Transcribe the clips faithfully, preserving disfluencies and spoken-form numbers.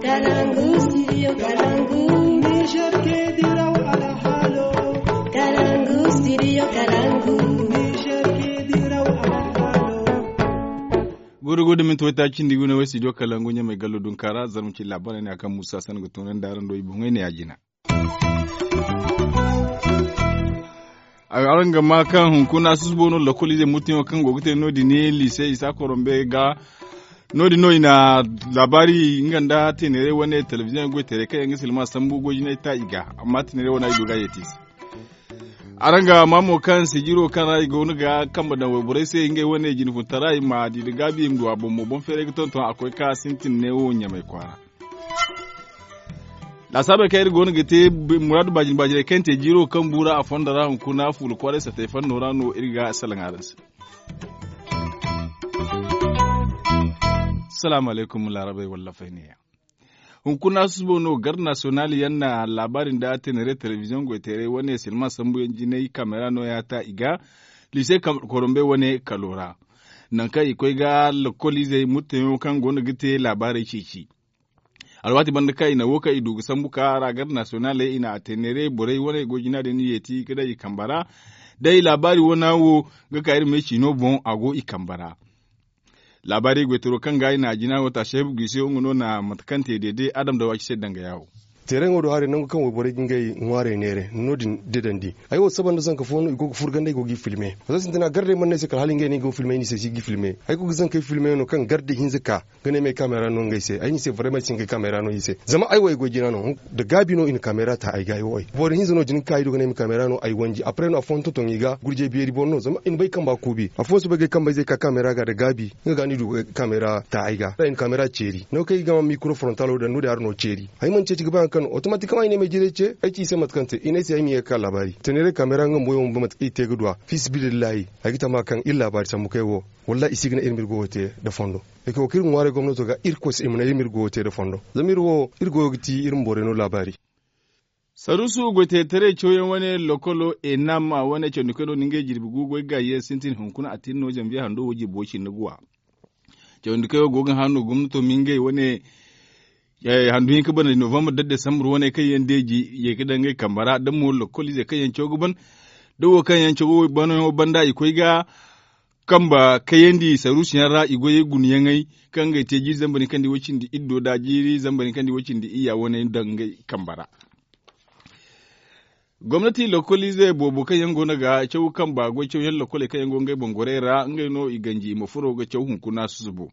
Kalangu, studio Kalangu. Niger ke diraw alhalo. Kalangu, studio Kalangu. Niger ke diraw alhalo. Gudu gudu minti wayta cindi gune way studio Kalangu ɲamay gallo dunkara zarma ci labarai ne a kan musa san ga tunan da aran do i boŋay ne a jina. Araŋ ga ma kaŋ hunkuna susubo no lokolize mutiŋo kaŋ go ga te no- din ne lise isa korombe ga. No- din no i na labari nga nda tenere wane telebiziyoŋ goy tere kaŋ yaŋ ga silma sambu goy jinay ta i ga. Amma tenere wane ay du ga yeti se. Araŋ ga ma mo kaŋ sijiro kaŋ ra i go no ga kambe daŋ wayborey se ngey wane jinfuntara i ma di da gaabi i ma du a boŋ mo boŋ feeray ga tonton a koy ka sintin ne wo ɲamay kwaara. Laasaabey kaŋ iri go no ga te muraadu baajin baajiney kaŋ te jiiro kaŋ buura a fondo ra hunkuna fuula kwaaray satay fanno ra no iri ga salaŋ araŋ se. Salaamu alaykum laarabey wallafey neeya. Hunkuna susubo no garde nasiyonal yaŋ na laabaari nda tenere telebiziyoŋ goyteeray wane silma sambu yaŋ jinay kameera no- ya ta i ga liise korombey wane kalo ra. Nangu kaŋ i koy ga lokoliizey murteyaŋo kaŋ go no ga te laabaarey ceeci. Alwaati banda kaŋ i na wo kaŋ i du ga sambu ka ra garde nasiyonaley i na a te neeray borey wane goy jina din yeeti ga daŋ i kamba ra. Day laabaari wana wo ga ka iri me ciino boŋ a go i kamba ra. Laabaari goytaro kaŋ ga i na a jina wo ta seebu g'i se wo nga no na mate kaŋ te deede adam da waaci se danga yaawo. Teeraŋo do haray nangu kaŋ wayborey ga ngey ŋwaarey neere no- din dedandi. Ay wo saba nda zanka fo no i go ga furgandi ay go g'i filme. Wala sintina gardey mana ne ay se kala hala ngey no ay go filme ay n'i se si g'i filme ay go ga zankey filme no kaŋ garde hinza ka ga ne ay ma ay kaamera no ngey se ay n'i se barey ma ay si ngey kaamera no i se zama ay wo ay goy jina no. Da gaabi no i na kaamera ta ay ga ay wo ay boro hinza no din ga ka ay do ga ne ay ma kaamera no ay wanji apre no afooyaŋ tonton i ga gurjey beeri boro no zama i na bay kamba kuubi afooyaŋ soobay ga ay kamba ize ga ka kaamera ga da gaabi. Nga ga no i du ga kaamera ta ay ga da i na kaamera ceeri nangu kaŋ i ga ma mikro forontalo daŋ no- din a ra no ceeri. Ay mana ceeci ga ba yaŋ kaŋ no otomatikamaŋ ay ne ay ma ay jirey ce ay ci i se mate kaŋ te i ne ay se ay ma ye ga ka laabaari teeneeray kaamera nga bumbo yaŋ bumbo mate kaŋ i te ga duw'a. Fisi bidillahi ay ga tama kaŋ iri laabaari sambu kaŋ ay wo. Wallahi i si ga naŋ iri ma iri goyo te nda fondo. Ay ga wo kaŋ iri ga ŋwaaray gomnato ga irkoy se i ma naŋ iri ma iri goyo te nda fondo zama iri wo iri goyo ga ti iri ma borey no laabaari. Saruusu goyteetaray cawyaŋ wane lokolo enam wane cawandi koy no na ngey jirbi gu goy gaayi yaŋ sintin hunkuna a tin no zanbiye hando wo jirbi way cindi guwa. Cawandi koy wo go ga hã no gomnato ma ngey wane handu hinka banda novambar da desambur wane kaŋ yaŋ deeji ye ga daŋ ngey kamba ra da mo lokoliizey kaŋ yaŋ caw ga ban da wo kaŋ yaŋ caw ga wo banayaŋo banda i koy ga kamba kayandi saruusu yaŋ ra i goyey gunayaŋey kaŋ ngey te jiiri zambar hinka nda i way cindi iddo da jiiri zambar hinka nda i way cindi iyya wane daŋ ngey kamba ra. Gomnati lokoliize boobo kaŋ yaŋ go no ga caw kamba goy cawyaŋ lokoley kaŋ yaŋ go ngey boŋ gorey ra ngey no i ganji i ma furo ga caw hunkuna susubo.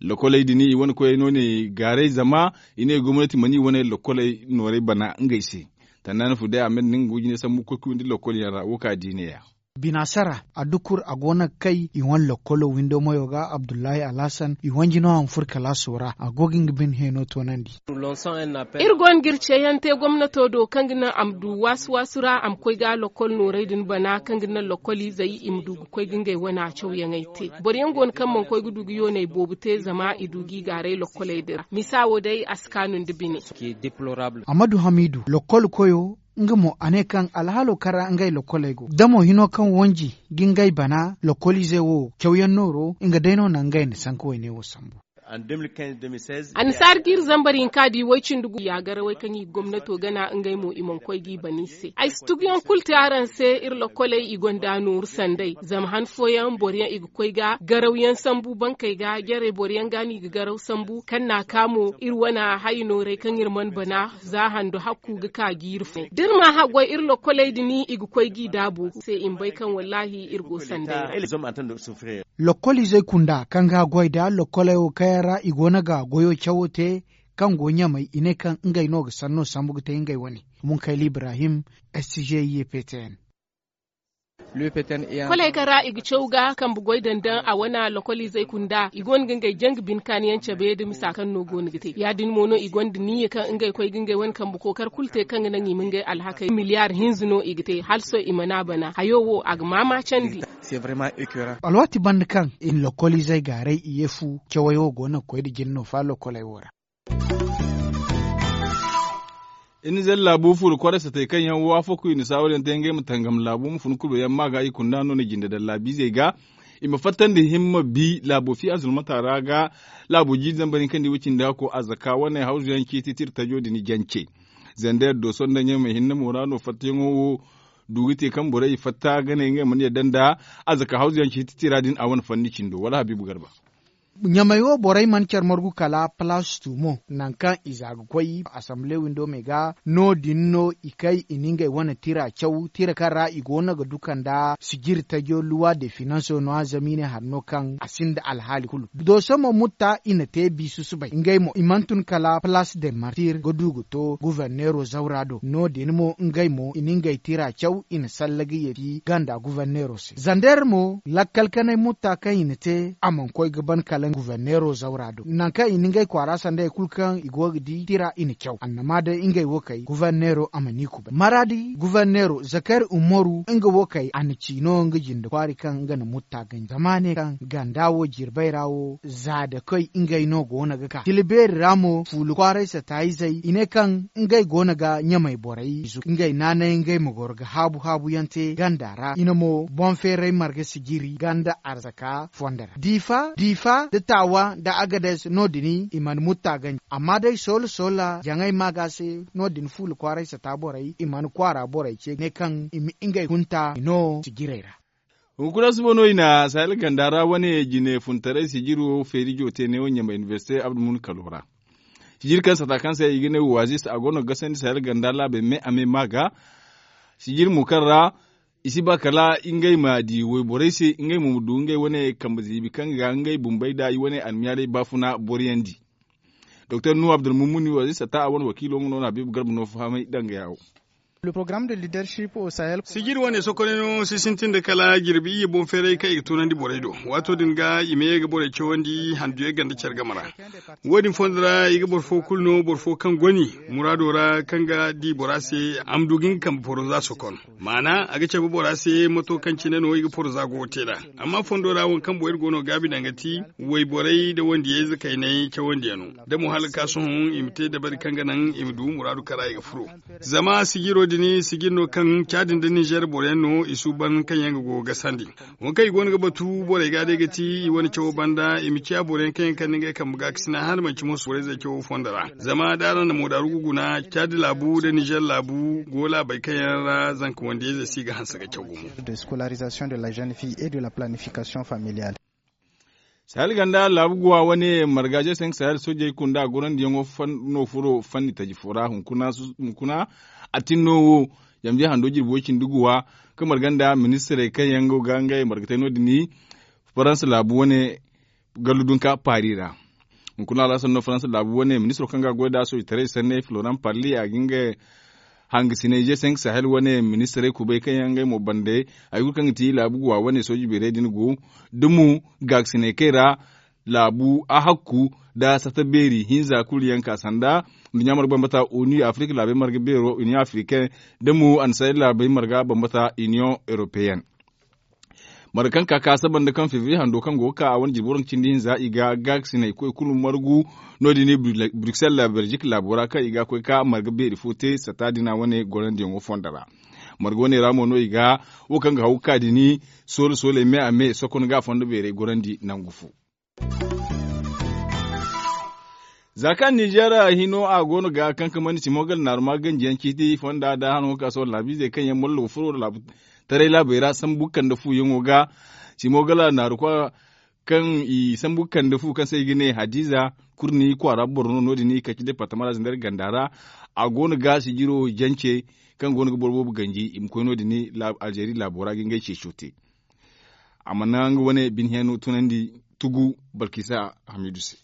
Lokoley din i wane koyey no ne gaaray zama i ne gomnati mana i wane lokoley noorey bana ngey se. Tannaani fu day a ma ne nga go jine sambu koy ga windi lokol yaŋ ra wo ka di neeya. Binaasara a dukur a go no ga kay i wane lokolo windo mayo ga abdullahi alhasan i wanji no a ma furo kalaaso ra a go ga nga bine heeno toonandi. Iri go no ga iri ceeyaŋ te gomnato do kaŋ ga naŋ a ma du waasu waasu ra a ma koy ga lokol noorey din bana kaŋ ga naŋ lokoliizey i ma du ga koy ga ngey wane cawyaŋey te. Boro yaŋ go no kaŋ mana koy ga du ga yooney boobo te zama i du g'i gaaray lokoley din ra misa wo day a si kaanu nda bine. Amadu hamiidu lokol koyo nga mo a ne kaŋ alhaalo kaŋ ra ngey lokoley go da mo hino kaŋ wanji ga ngey bana lokoliizey wo cawyaŋ nooro nga day no naŋ ngey na sanka wayne wo sambu. Annasaari ga iri zambar hinka di way cindi gu ya garawey kaŋ i ga gomnato gana ngey mo i mana koy g'i bana i se ay si tuguyaŋ kulu te araŋ se iri lokoley i gonda nooru sanday zama han fooyaŋ boro yaŋ i ga koy ga garawyaŋ sambu bankey ga jarey boro yaŋ ga no i ga garaw sambu kaŋ n'a ka mo iri wane hayo noorey kaŋ iri mana bana za hando hakku ga ka jiiri fo da iri ma haggoy iri lokoley din i ga koy g'i daabu se i ma bay kaŋ wallaahi iri go sanday ra. Lokoliizey kunda kaŋ ga goy nda lokoley wo kaŋ yaŋ ra i go no ga goyo cawo te kaŋ go ɲamay i ne kaŋ ngey no ga sanno sambu ga te ngey wane. Munkayli ibrahim sgiptn. Koley kaŋ ra i ga caw ga kambe goy daŋ daŋ a wane lokoliizey kunda i go no ga ngey janga bine kaani yaŋ cabe nda misa kaŋ no go no ga te ya- din mo no i gonda niyya kaŋ ngey koy ga ngey wane kambe kookari kulu te kaŋ ga naŋ i ma ngey alhakey miliyaar hinza no i ga te hala sohõ i mana bana hayo wo a ga maamaacandi. Alwaati banda kaŋ i na lokoliizey gaaray i ye fu cawey wo go no ga koy nda jina no fa lokoley wo ra. Iri na zalla laabu fuula kwaray satay kaŋ yaŋ waafaku i na saawar yaŋ te ngey ma tangam laabu ma fun kulo yaŋ ma ga i kunda no na jinde daŋ laabiizey ga. I ma fattandi himma bi laabo fi a zulmata ra ga laabo jiiri zambar hinka nda i wo cindi hakko a zaka wane hawzu yaŋ ciiti tira tajo din jance. Zander doso nda ɲamay hinne mo ra no fattayaŋo wo du ga te kaŋ borey fatta ga ne ngey mana yadda nda a zaka hawzu yaŋ ciiti tira din a wane fanni cindo wala habiibu garba. Ɲamay wo borey mana care margu kala palastu mo nangu kaŋ i za ga koy asamble windo me ga no- din no i kay i na ngey wane tira caw tira kaŋ ra i go no ga duka nda sijiri tajo luwa de finanso no a zama i ne hari no kaŋ a sinda alhaali kulu. Doso mo mutta i na te bi susubay ngey mo i mana tun kala palasu de martir ga du ga to guverneero zawra do no- din mo ngey mo i na ngey tira caw i na salla ga yeeti ganda guverneero se zander mo lakkal kanay mutta kaŋ i na te a mana koy ga ban kala guverneero zawra do nangu kaŋ i na ngey kwaara sanda hari kulu kaŋ i go ga di tira i na caw annama day ngey wo kay guverneero a mana i kubay maradi guverneero zakari umaru nga wo kay a na ci no nga jinde kwaari kaŋ nga na mutta ganji zama a ne kaŋ ganda wo jirbay ra wo za da koy ngey no go no ga ka tila beeri ra mo fuula kwaaray sata izey i ne kaŋ ngey go no ga ɲamay borey izo ngey naanay ngey ma goro ga haabu haabu yaŋ te ganda ra i na mo boŋ feeray marga sijiri ganda arzaka fondo ra diifa diifa nda taawa nda agades no- din i mana mutta ganji amma day soola soola jaŋay maaga se no- din fuula kwaaray sata borey i mana kwaara borey ce ne kaŋ i ma ngey hunta i no sijirey ra. Hunkuna suba no i na sahel ganda ra wane jine funtaray sijiro feerijo te neewo ɲamay inibersite abdulmun kalo ra. Sijiri kaŋ sata kaŋ se i ga ne waazis a go no ga gasandi sahel ganda laabey me a me ma ga sijiri mo kaŋ ra i si ba kala ngey ma di wayborey se ngey mo ma du ngey wane kambe ziibi kaŋ ga ngey bumbey nda i wane almiyaaley baafuna boriyandi. Doktor nuhu abdulmumuni waazis sata a wane wakiilo nga no na habiibu garba no fahamay danga yaawo. Sijiri wane sokonay no si sintin nda kala jirbi iyye boŋ feeray kaŋ i ga tunandi borey do. Waato din ga i ma ye ga borey cawandi handuyey ganda care game ra. Wo- din fondo ra i ga boro fo kulu no boro fo kaŋ goni muraado ra kaŋ ga di bora se a ma du ga nga kambe poroza sokon. Maana a ga cabe bora se mato kaŋ cine no i ga poroza go ga te nd'a. Amma fondo ra waŋ kaŋ borey go no gaabi danga ti wayborey nda wandiyayze kaynay cawandiyano da mo hala ga ka sohõ i ma te dabari kaŋ ga naŋ i ma du muraadu kaŋ ra i ga furo. Zama sijiro din sijir no kaŋ caadi nda nizer boroyaŋ no i suuban kaŋ yaŋ ga go ga gasandi. Waŋ kaŋ i go no ga batu borey ga day ga ti i wane cawo banda i ma ciya boroyaŋ kaŋ yaŋ kande ngey kambe ga ga sina hala manci mo borey zey cawo fondo ra zama da araŋ na moodaaru ga guna caadi laabu nda nizer laabu go laabey kaŋ yaŋ ra zanka wandiyayzey si ga hanse ga caw gumo. Sahel ganda laabu guwa wane marga je senk sahel soojey kunda gorandiyaŋo no furo fanni taji fo ra hunkuna a tin no wo. Yambiya hando jirbi way cindi guwa ka marga nda ministirey kaŋ yaŋ go ga ngey marga te no- din faransa laabu wane gallu dunka paari ra. Hunkuna alasan no faransa laabu wane ministiro kaŋ ga goy da soojitaray sanney floran parli a ga nga hangasiney je senk sahel wane ministirey kubay kaŋ yaŋ ngey mo bande hari kulu kaŋ ga ti laabu guwa wane sooji beerey din go da mo gaakasiney kay ra laabu ahakku nda sata beeri hinza kulu yaŋ ka sanda nduɲɲa marga bambata onu afirika laabey marga beero union africaine da mo annasaray laabey marga bambata union européenne. Marga kaŋ ka ka saba nda kaŋ febriye hando kaŋ go ga ka a wane jirbi waranka cindi hinza i ga gaakasiney koy kulu margu no- din bruxelles belgique laabo ra kaŋ i ga koy ka marga beeri fo te sata dina wane gorandiyaŋo fondo ra. Marga wane ra mo no i ga wo kaŋ ga haw ga ka dini soole sooley me a me sokon ga a fondo beerey gorandi nangu fo. Za kaŋ ninzeer hino a go no ga kankamandi simo gala naaruma ganjiyaŋ ciiti fonda da hano ga ka sohõ laabiizey kaŋ yaŋ mollo ga furo taray laabey ra sambu kande fuyaŋo ga. Simo gala naarukwa kaŋ i sambu kande fu kaŋ se i ga ne hadiza kurni kwaara boro no no- din i kaci departama ra zandar ganda ra. A go no ga sijiro jance kaŋ go no ga boro boobo ganji i ma koy no- din alzeeri laabo ra ga ngey ceeco te. A mana nga wane bine hiyano tunandi tugu balkisa hamidu se.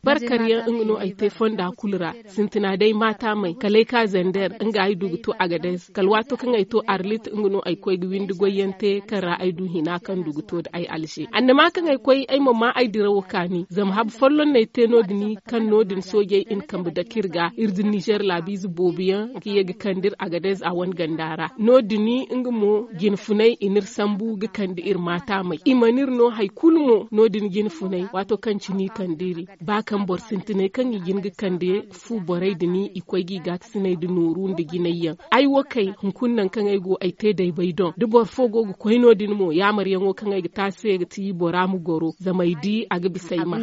Barkariyaŋ nga no ay te fonda kulu ra. Sintina day maata may kala ay ka zander nga ay du ga to agades kala waato kaŋ ay to arlit nga no ay koy ga windi goyyaŋ te kaŋ ra ay du hina kaŋ du ga to nda ay alze annama kaŋ ay koy ay ma ma ay dirawo kaani zama habu folloŋ no ay te no- din kaŋ no- din soojey i na kambe dake iri ga iri da nizer laabiize boobo yaŋ ga ye ga kande iri agades a wane ganda ra no- din nga mo jine funay i na iri sambu ga kande iri maata may i mana iri no hari kulu mo no- din jine funay. Watto kaŋ cine i kande iri ba kaŋ boro sintinay kaŋ i ga hin ga kande fu borey din i koy ga i gaakasiney nda nooru nda jinay yaŋ. Ay wo kay hunkuna nangu kaŋ ay go ay te day bay doŋ da boro fo go ga koy no- din mo yaamaryaŋo kaŋ ay ga te a se ga ti bora ma goro zama ay di a ga bisa ay ma.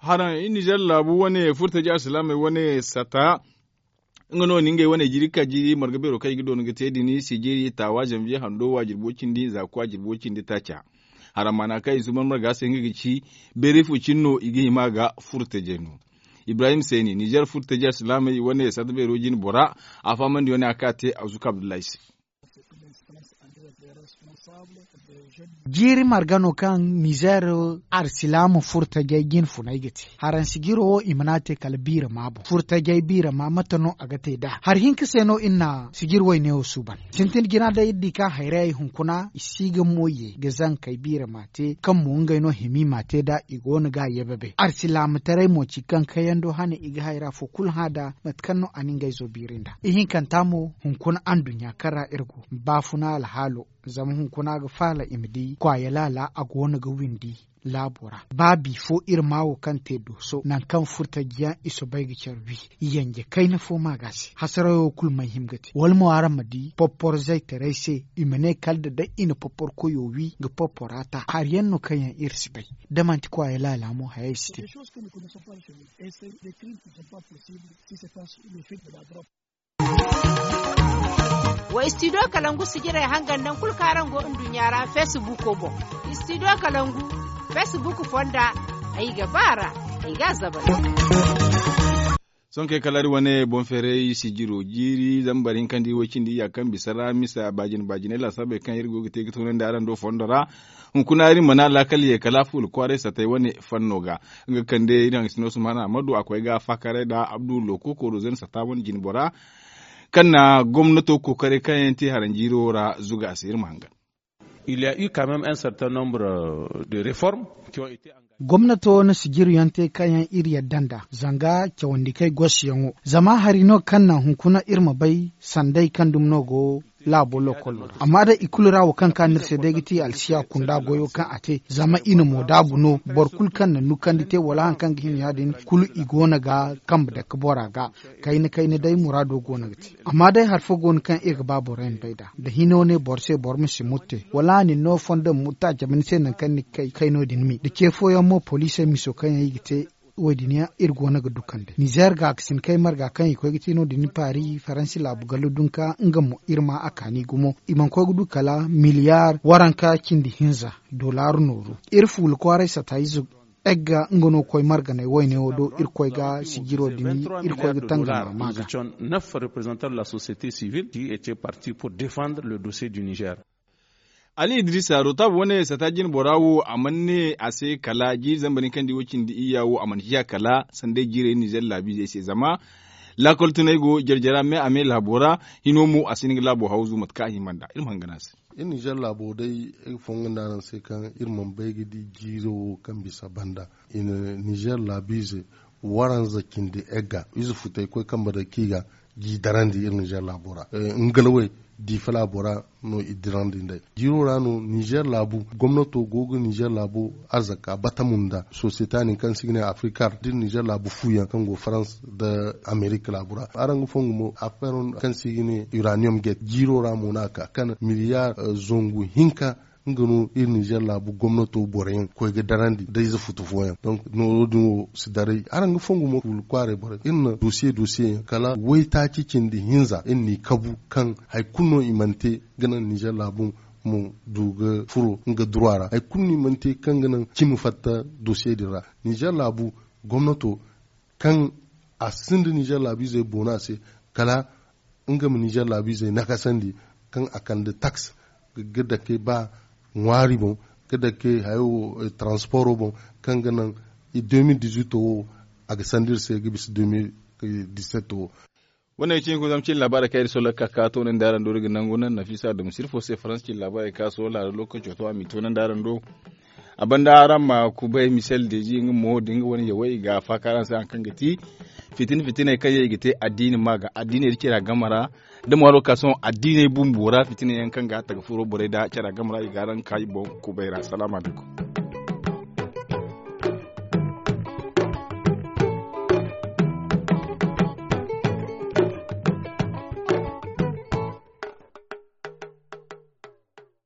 Haraŋ i nizer laabu wane furtaji alsilaamey wane sata. Nga no ni ngey wane jiiri ka jiiri marga beero kaŋ i ga doona ga te din sijiri taawa zanviye hando waajirbo cindi zaaku waajirbo cindi taaca. Haraŋ maana kaŋ i suuban marga se nga ga ci beeri fo cine no i ga hima ga furtajey no. Ibrahim seeni nizer furtaji alsilaamey wane sata beero jine bora a fahamandi wane a ka te azuka abdullahi se. Jiiri marga no kaŋ nizer alsilaama furtajey jine funay ga te. Haraŋ sijiro wo i mana te kala biirama boŋ furtajey biirama mate no a ga te nd'a hari hinka se no iri na sijiri wayne wo suuban. Sintin jina day iri di kaŋ hayrayey hunkuna i si ga moy ye ga zankey biirama te kaŋ mo ngey no hima i ma te nd'a i go no ga a yababay alsilaamataray mo ci kaŋ kayando hane i ga hayra fo kulu hã nd'a mate kaŋ no a na ngey zo biiri nd'a. Ihinkanta mo hunkuna anduɲɲa kaŋ ra iri go baafuna alhaalo. Zama hunkuna ga faala i ma di kwaaya laala a go no ga windi laabo ra. Ba bifo iri ma wo kaŋ te dooso nangu kaŋ furtajiyaŋ i soobay ga care wi. Yanje kayna fo ma ga se hasarayo kulu may hima ga te wala mo araŋ ma di popporzaytaray se i ma ne kala da day i na popporkoyo wi ga poppora ta hari yaŋ no kaŋ yaŋ iri si bay. Da manti kwaaya laala mo hayey si te. Wa istidiyo kalangu sijirey hangan nangu kulu kaŋ araŋ go nduɲɲa ra feesibuuko boŋ. Istidiyo kalangu feesibuuko fonda ay ga ba a ra. Ay ga a zabal. Sohõ kay kala iri wane boŋ feeray sijiro jiiri zama bari hinka nda iri way cindi iyya kaŋ bisa ra misa baajine baajiney laasaabey kaŋ iri go ga te ga toonandi araŋ do fondo ra. Hunkuna iri mana laakal ye kala fuula kwaaray satay wane fanno ga. Nga kande iri haŋ ga sino sumana amadu a koy ga faakaray nda abdu looko kooro zan sata wane jinbora kaŋ na gomnato kookaray kaŋ yaŋ te haranjiiro ra zuga a se iri ma hangan. Il ya eu quand même un certain nombre de reformes qui ont été engagées. Gomnato na sijiri yaŋ te kaŋ yaŋ iri yadda nd'a zanga cawandi kay gosi yaŋo zama hari no kaŋ naŋ hunkuna iri ma bay sanday kaŋ dumi no go laabo lokolo ra amma day i kulu ra wo kaŋ ka no iri se day ga ti alsiya kunda goyo kaŋ a te zama i na moodaabu no boro kulu kaŋ na nukandi te wala hari kaŋ ga hima ya- din kulu i go no ga kambe dake bora ga. Kayna kayna day muraado go no ga te amma day hari fo go no kaŋ iri ga ba borey ma bay nd'a da hino ne boro se boro ma si mutte wala a na ni no fondo ma mutte a cabe ni se nangu kaŋ ni ga kay kay no- din mi da ce fooyaŋ mo poliisey miso kaŋ yaŋ i ga te. Wo- din yaŋ iri go no ga du kande nizeer gaakasin kay marga kaŋ i koy ga te no- din paari faransi laabu gallo dunka nga mo iri ma a kaani gumo i mana koy ga du kala miliyaar waranka cindi hinza dolaaru nooru. Iri fuula kwaaray sata ize egga nga no koy marganay wayne wo do irkoy ga sijiro din irkoy ga tangama ma ga. Neuf représentants de la société civile qui étaient partis pour défendre le dossier du niger. Ali idrisa rotab wane sata jine bora wo a mana ne a se kala jiiri zambar ni kaŋ di wo cindi iyya wo a mana ciya kala sanday jiirey nizer laabiizey se zama laakol tunay go jare jare a me a me laabo ra. Hino mo a si hin ga laabo hawzu mate kaŋ a hima nd'a iri ma hangan a se. Iri nizer laabo day iri ga fongo nda araŋ se kaŋ iri mana bay ga di jiiro wo kaŋ bisa banda. I na nizer laabiize waranza cindi egga ize futay koy kambe day kaŋ i ga gi darandi iri nizer laabo ra. Ngalawey diifa laabo ra no i dirandi nd'ey jiiro ra no nizer laabu gomnato go ga nizer laabo arzaka batamu nda sosiyete nin kaŋ se i ga ne afrikar da iri nizer laabu fu yaŋ kaŋ go farans nda amerik laabu ra araŋ ga fongu mo a fero kaŋ se i ga ne uraniyom gate jiiro ra mo no a ka kaŋ miliyaar zangu hinka. Nga no iri nizer laabu gomnato boro yaŋ koy ga darandi da ize futu fooyaŋ donk nooro din wo si daray araŋ ga fongu mo fuula kwaaray borey iri na dosiye dosiye yaŋ kala waytaaci cindi hinza iri n'i kabu kaŋ hari kulu no i mana te ga naŋ nizer laabu ma du ga furo nga duruwa ra hari kulu no i mana te kaŋ ga naŋ cimi fatta dosiye din ra. Nizer laabu gomnato kaŋ a sinda nizer laabiizey boona se kala nga ma nizer laabiizey nakasandi kaŋ a kande taks ga dake ba ŋwaari boŋ ga dake hayo transporo boŋ kaŋ ga naŋ deux mille dix-huit wo a ga sanda iri se ga bisa deux mille dix-sept wo. Wane ga cine ga zama cine laabaarey kaŋ iri sohõ ga ka ka toonandi araŋ do iri ga nangu naŋ nafisa dum sirfo se farans cine laabaarey kaŋ sohõ laara lookaco to a m'i toonandi araŋ do. A banda araŋ ma kubay misel deezi nga mo da nga wane yawey i ga faaka araŋ se hari kaŋ ga ti fitina fitiney kaŋ yaŋ i ga te addiini ma ga addiiney da cira game ra da mo alwakaasoŋ addiiney bumbo ra fitina yaŋ kaŋ ga taga furo borey da cira game ra i ga araŋ ka i boŋ kubay ra salaamu alaykum.